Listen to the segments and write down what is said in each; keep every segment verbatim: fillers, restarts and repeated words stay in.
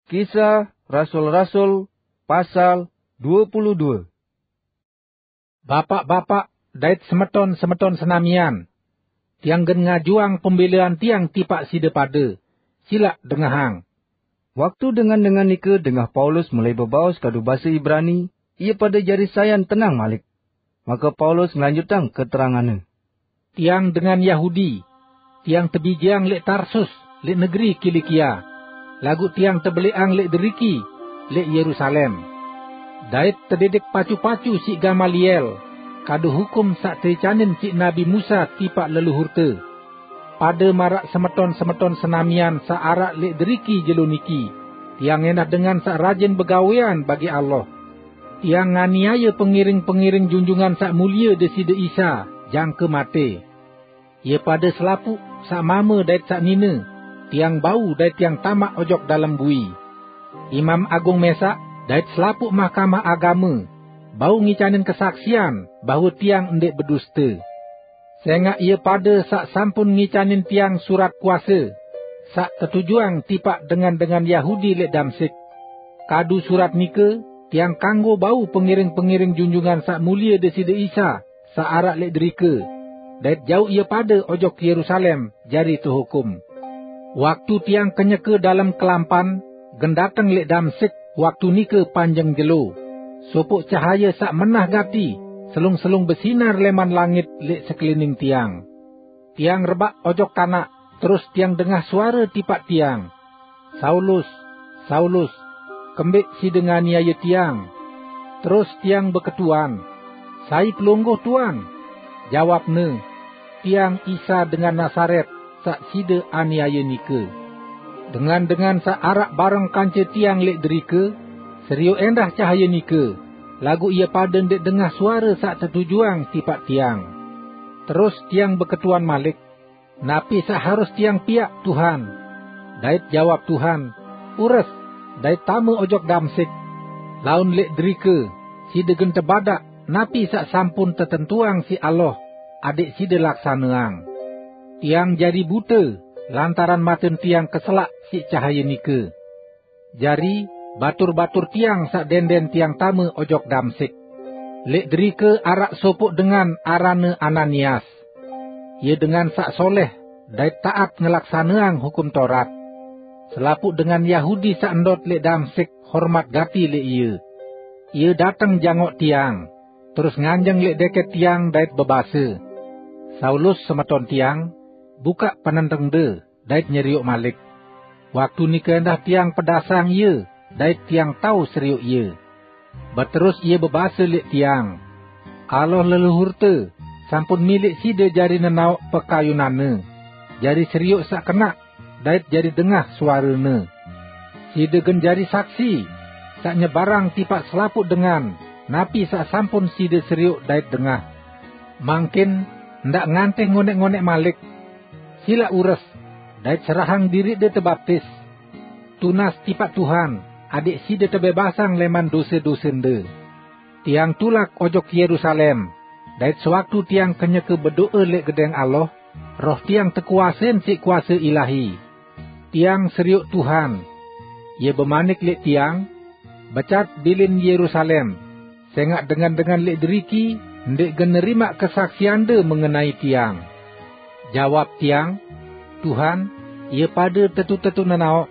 Kisah Rasul-Rasul pasal dua puluh dua. Bapak-bapak dait semeton-semeton senamian, tiang gen ngajuang pembelaan tiang tipak side pade. Silaq dengahang. Waktu dengan-dengan nike dengah Paulus melai bebaos kadu basa Ibrani, ie pade jari sayan tenang malik. Maka Paulus nglanjutang keteranganne. Tiang dengan Yahudi. Tiang tebijeang leq Tarsus, leq negeri Kilikia, laguq tiang tebeleqang leq deriki, leq Yerusalem, dait tedidik pacu-pacu siq Gamaliel, kadu hukum saq teicanin siq Nabi Musa tipaq leluhurte. Pade maraq semeton-semeton senamian saq araq leq deriki jelo niki, tiang endah dengan saq rajin begawean bagi Allah. Tiang nganiaye pengiring-pengiring Junjungan Saq Mulie Deside Isa jangke mate. Ie pade selapuq, saq mame dait saq nine, tiang bau dait tiang tamaq ojok dalem bui. Imam Agung mesaq dait selapuq Mahkamah Agame bau ngicanin kesaksian bahwe tiang ndeq beduste. Sengaq ie pade saq sampun ngicanin tiang surat kuase, saq tetujuang tipaq dengan-dengan Yahudi leq Damsik. Kadu surat nike, tiang kanggo bau pengiring-pengiring Junjungan Saq Mulie Deside Isa, saq araq leq derike, dait jauq ie pade ojok Yerusalem jari tehukum. Waktu tiang kenyeke dalem kelampan, gen dateng leq Damsik, waktu nike panjeng jelo, sopoq cahaye saq menah gati, selung-selung besinar leman langit leq sekelining tiang. Tiang rebaq ojok tanaq, terus tiang dengah suare tipaq tiang, "Saulus, Saulus, kembeq side nganiaye tiang?" Terus tiang beketuan, "Sai Pelungguh, Tuan?" Jawabne, "Tiang Isa dengan Nasaret, saq side aniaye nike." Dengan-dengan saq araq bareng kance tiang leq derike, serioq endah cahaye nike, laguq ie pade ndeq dengah suare saq tetujuang tipaq tiang. Terus tiang beketuan malik, "Napi saq harus tiang piaq, Tuhan?" Dait jawab Tuhan, "Ures, dait tame ojok Damsik. Laun leq derike, side gen tebadaq napi saq sampun tetentuang siq Allah adẽq side laksaneang." Tiang jari bute lantaran maten tiang keselaq siq cahaye nike. Jari, batur-batur tiang saq denden tiang tame ojok Damsik. Leq derike araq sopoq dengan aranne Ananias. Ie dengan saq soleh dait taat ngelaksaneang Hukum Taurat. Selapuq dengan Yahudi saq ndot leq Damsik hormat gati leq ie. Ie dateng jangoq tiang, terus nganjeng leq deket tiang dait bebase, "Saulus, semeton tiang, bukaq penentengde dait nyerioq malik." Waktu nike endah tiang pedasang ie, dait tiang tao serioq ie. Beterus ie bebase leq tiang, "Allah leluhurte sampun milih side jari nenaoq pekayunanne, jari serioq saq kenaq, dait jari dengah suarene. Side gen jari saksi saq nyebarang tipaq selapuq dengan napi saq sampun side serioq dait dengah. Mangkin ndaq ngantih ngoneq-ngoneq malik. Silaq ures, dait serahang diriqde tebaptis, tunas tipaq Tuhan, adẽq side tebebasang leman dose-dosende." Tiang tulak ojok Yerusalem, dait sewaktu tiang kenyeke bedoe leq Gedeng Allah, roh tiang tekuasein siq kuase ilahi. Tiang serioq Tuhan. Ie bemanik leq tiang, "Becat bilin Yerusalem, sengaq dengan-dengan leq deriki ndeq gen nerimaq kesaksiande mengenai tiang." Jawab tiang, "Tuhan, ie pade tetu-tetu nenaoq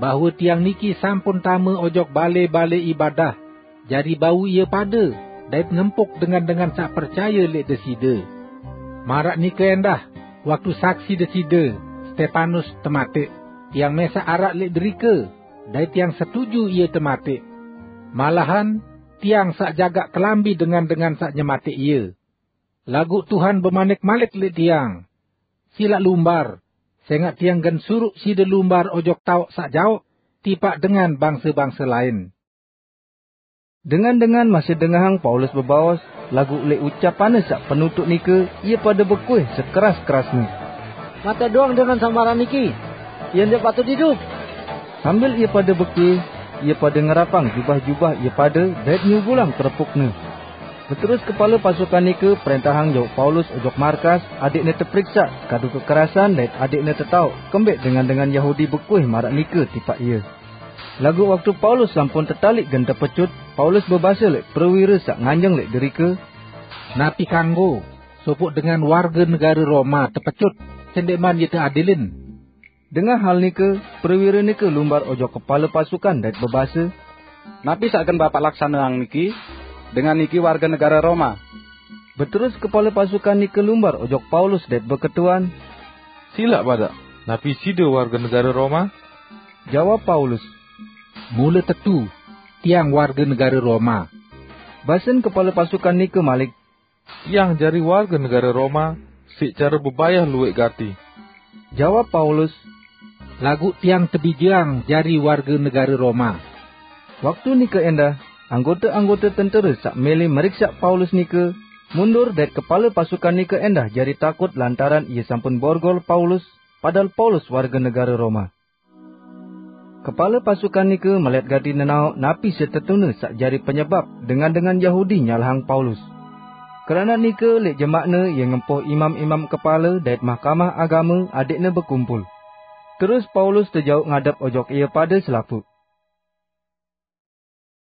bahwe tiang niki sampun tame ojok bale-bale ibadah jari bau ie pade dait ngempuk dengan-dengan saq percaye leq Deside. Maraq nike endah, waktu saksi Deside, Stepanus, temateq, tiang mesaq araq leq derike, dait tiang setuju ie temateq. Malahan tiang saq jagaq kelambi dengan-dengan saq nyemateq ie. Laguq Tuhan bemanik malik leq tiang, 'Silaq lumbar, sengaq tiang gen suruq side lumbar ojok taoq saq jaoq tipaq dengan bangse-bangse lain.'" Dengan-dengan masih dengahang Paulus bebaos, laguq leq ucapanne saq penutuq nike, ie pade bekuih sekeras-kerasne, "Matẽq doang dengan saq maraq niki! Ie ndeq patut idup!" Sambil ie pade bekuih, ie pade ngerapang jubah-jubah ie pade dait nyugulang kerepukne. Beterus kepale pasukan nike prentahang jauq Paulus ojok markas, adẽqne teperiksaq kadu kekerasan dait adẽqne tetaoq kembeq dengan-dengan Yahudi bekuih maraq nike tipaq ie. Laguq waktu Paulus sampun tetaliq gen tepecut, Paulus bebase leq prewire saq nganjeng leq derike, "Napi kanggo sopoq dengan warge negare Roma tepecut, sendikman ie teadilin?" Dengah hal nike, prewire nike lumbar ojok kepale pasukan dait bebase, "Napi saq gen Bapaq laksaneang niki? Dengan niki warge negare Roma." Beterus kepale pasukan nike lumbar ojok Paulus dait beketuan, "Silaq badaq, napi side warge negare Roma?" Jawab Paulus, "Mule tetu, tiang warge negare Roma." Basen kepale pasukan nike malik, "Tiang jari warge negare Roma siq care bebayah lueq gati." Jawab Paulus, "Laguq tiang tebijeang jari warge negare Roma." Waktu nike endah, anggote-anggote tentere saq mele meriksaq Paulus nike mundur dait kepale pasukan nike endah jari takut lantaran ie sampun borgol Paulus, padahal Paulus warge negare Roma. Kepale pasukan nike melet gati nenaoq napi setetune saq jari penyebap dengan-dengan Yahudi nyalahang Paulus. Keranaq nike leq jemaqne ie ngempoh imam-imam kepale dait mahkamah agame adeqne bekumpul. Terus Paulus tejauq ngadep ojok ie pade selapuq.